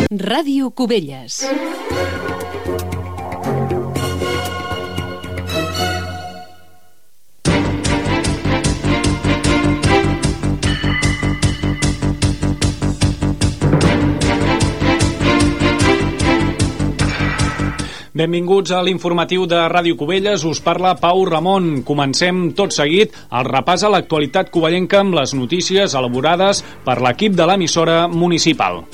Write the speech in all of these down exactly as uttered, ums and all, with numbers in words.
Ràdio Cubelles. Benvinguts a l'informatiu de Ràdio Cubelles, us parla Pau Ramon. Comencem tot seguit el repàs a l'actualitat covellenca amb les notícies elaborades per l'equip de l'emissora municipal.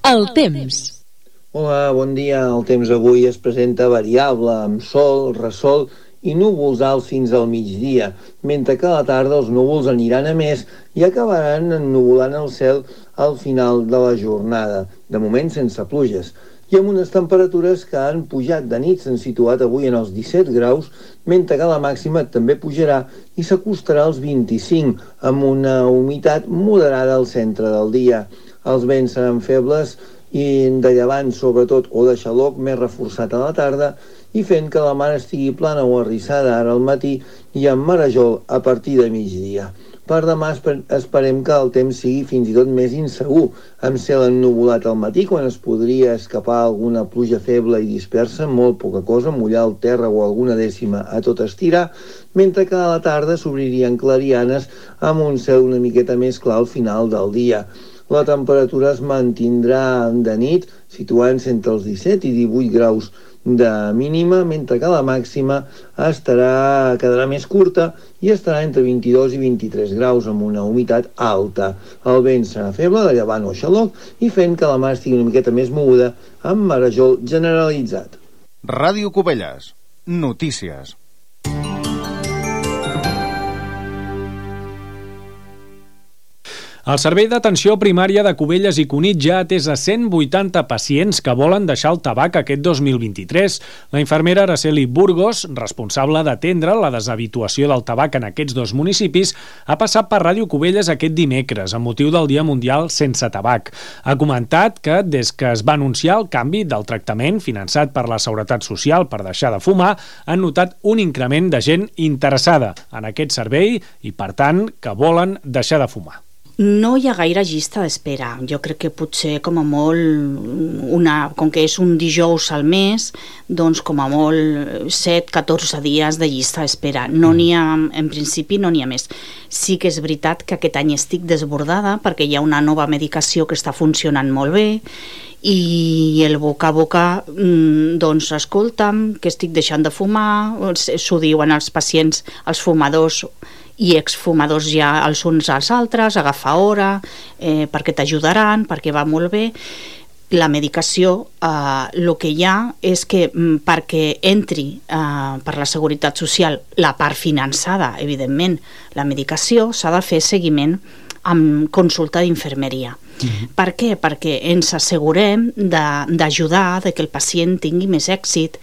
El temps. Hola, bon dia. El temps avui es presenta variable, amb sol, ressol i núvols alts fins al migdia, mentre que a la tarda els núvols aniran a més i acabaran ennuvolant el cel al final de la jornada, de moment sense pluges, i amb unes temperatures que han pujat de nit, s'han situat avui en els disset graus, mentre que la màxima també pujarà i s'acostarà als vint-i-cinc, amb una humitat moderada al centre del dia. Els vents seran febles i de llevant, sobretot, o de xaloc més reforçat a la tarda, i fent que la mar estigui plana o arrissada ara al matí i amb marejol a partir de migdia. Per demà esperem que el temps sigui fins i tot més insegur, amb cel ennuvolat al matí, quan es podria escapar alguna pluja feble i dispersa, molt poca cosa, mullar el terra o alguna dècima a tot estirar, mentre que a la tarda s'obririen clarianes amb un cel una miqueta més clar al final del dia. La temperatura es mantindrà de nit, situant-se entre els disset i divuit graus de mínima, mentre que la màxima estarà, quedarà més curta i estarà entre vint-i-dos i vint-i-tres graus amb una humitat alta. El vent serà feble, de llevant o xaloc, i fent que la mar estigui una miqueta més moguda amb marejol generalitzat. Ràdio Cubelles. Notícies. El Servei d'Atenció Primària de Cubelles i Cunit ja ha atès a cent vuitanta pacients que volen deixar el tabac aquest dos mil vint-i-tres. La infermera Araceli Burgos, responsable d'atendre la deshabituació del tabac en aquests dos municipis, ha passat per Ràdio Cubelles aquest dimecres, amb motiu del Dia Mundial Sense Tabac. Ha comentat que, des que es va anunciar el canvi del tractament finançat per la Seguretat Social per deixar de fumar, han notat un increment de gent interessada en aquest servei i, per tant, que volen deixar de fumar. No hi ha gaire llista d'espera. Jo crec que potser com a molt, una, com que és un dijous al mes, doncs com a molt set a catorze dies de llista d'espera. No n'hi ha, en principi no n'hi ha més. Sí que és veritat que aquest any estic desbordada perquè hi ha una nova medicació que està funcionant molt bé i el boca a boca, doncs escolta'm, que estic deixant de fumar, s'ho diuen els pacients, els fumadors i exfumadors ja els uns als altres, agafar hora, eh, perquè t'ajudaran, perquè va molt bé. La medicació, el eh, que hi ha és que m, perquè entri eh, per la Seguretat Social la part finançada, evidentment, la medicació s'ha de fer seguiment amb consulta d'infermeria. Uh-huh. Per què? Perquè ens assegurem d'ajudar, de, de que el pacient tingui més èxit.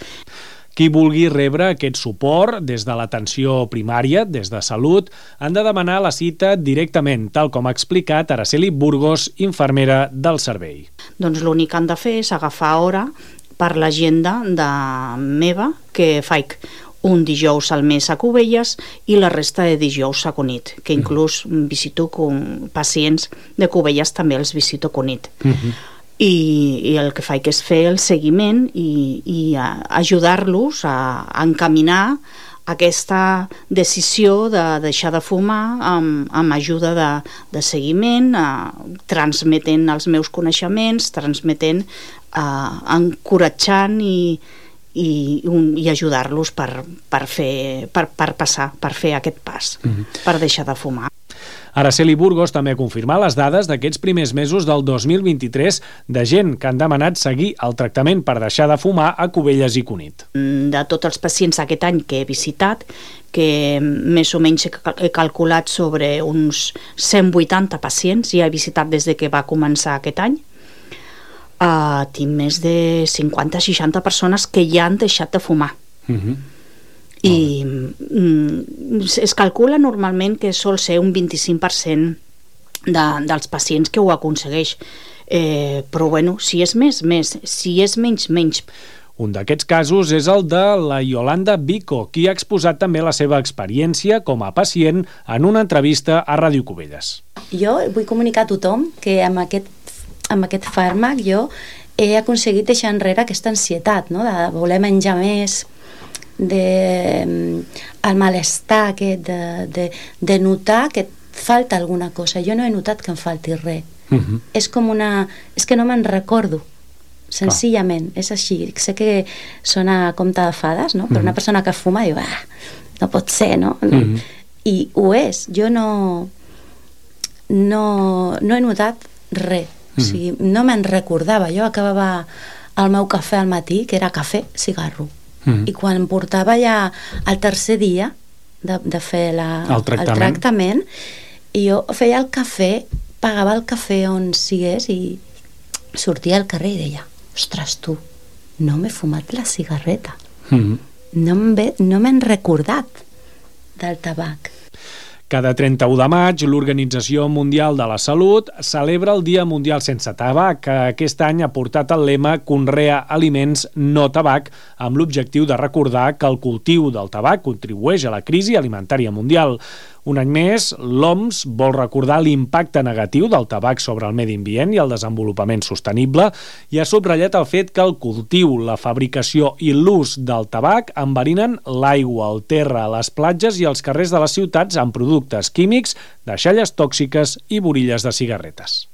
Qui vulgui rebre aquest suport des de l'atenció primària, des de salut, han de demanar la cita directament, tal com ha explicat Araceli Burgos, infermera del servei. Doncs l'únic que han de fer és agafar hora per l'agenda de meva, que faig un dijous al mes a Cubelles i la resta de dijous a Cunit, que inclús visito com pacients de Cubelles, també els visito a Cunit. Uh-huh. I, i el que faig és fer el seguiment i, i ajudar-los a, a encaminar aquesta decisió de deixar de fumar amb, amb ajuda de, de seguiment, eh, transmetent els meus coneixements, transmetent, eh, encoratjant i, i, i ajudar-los per, per, fer, per, per passar, per fer aquest pas, mm-hmm. per deixar de fumar. Araceli Burgos també ha confirmat les dades d'aquests primers mesos del dos mil vint-i-tres de gent que han demanat seguir el tractament per deixar de fumar a Cubelles i Cunit. De tots els pacients aquest any que he visitat, que més o menys he calculat sobre uns cent vuitanta pacients, ja he visitat des de que va començar aquest any, uh, tinc més de cinquanta a seixanta persones que ja han deixat de fumar. Uh-huh. I mm, es calcula normalment que sol ser un vint-i-cinc per cent de, dels pacients que ho aconsegueix, eh, però bueno, si és més, més, si és menys, menys. Un d'aquests casos és el de la Yolanda Vico, qui ha exposat també la seva experiència com a pacient en una entrevista a Ràdio Cubelles. Jo vull comunicar a tothom que amb aquest, amb aquest fàrmac jo he aconseguit deixar enrere aquesta ansietat, no? De voler menjar més, de el malestar aquest, de, de, de notar que et falta alguna cosa. Jo no he notat que em falti res. Uh-huh. És com una... És que no me'n recordo, senzillament. Ah. És així. Sé que sona a compte de fades, no? Però uh-huh. una persona que fuma diu, ah, no pot ser, no? Uh-huh. I ho és. Jo no... No, no he notat res. O sigui, no me'n recordava. Jo acabava el meu cafè al matí, que era cafè, cigarro. Mm. I quan em portava ja el tercer dia de, de fer la, el, tractament. el tractament, i jo feia el cafè, pagava el cafè on sigués i sortia al carrer i deia, ostres, tu, no m'he fumat la cigarreta. Mm. No m'he no m'he recordat del tabac. Cada trenta-u de maig, l'Organització Mundial de la Salut celebra el Dia Mundial Sense Tabac, que aquest any ha portat el lema Conrea aliments no tabac, amb l'objectiu de recordar que el cultiu del tabac contribueix a la crisi alimentària mundial. Un any més, l'O M S vol recordar l'impacte negatiu del tabac sobre el medi ambient i el desenvolupament sostenible i ha subratllat el fet que el cultiu, la fabricació i l'ús del tabac enverinen l'aigua, el terra, les platges i els carrers de les ciutats amb productes químics, deixalles tòxiques i borilles de cigarretes.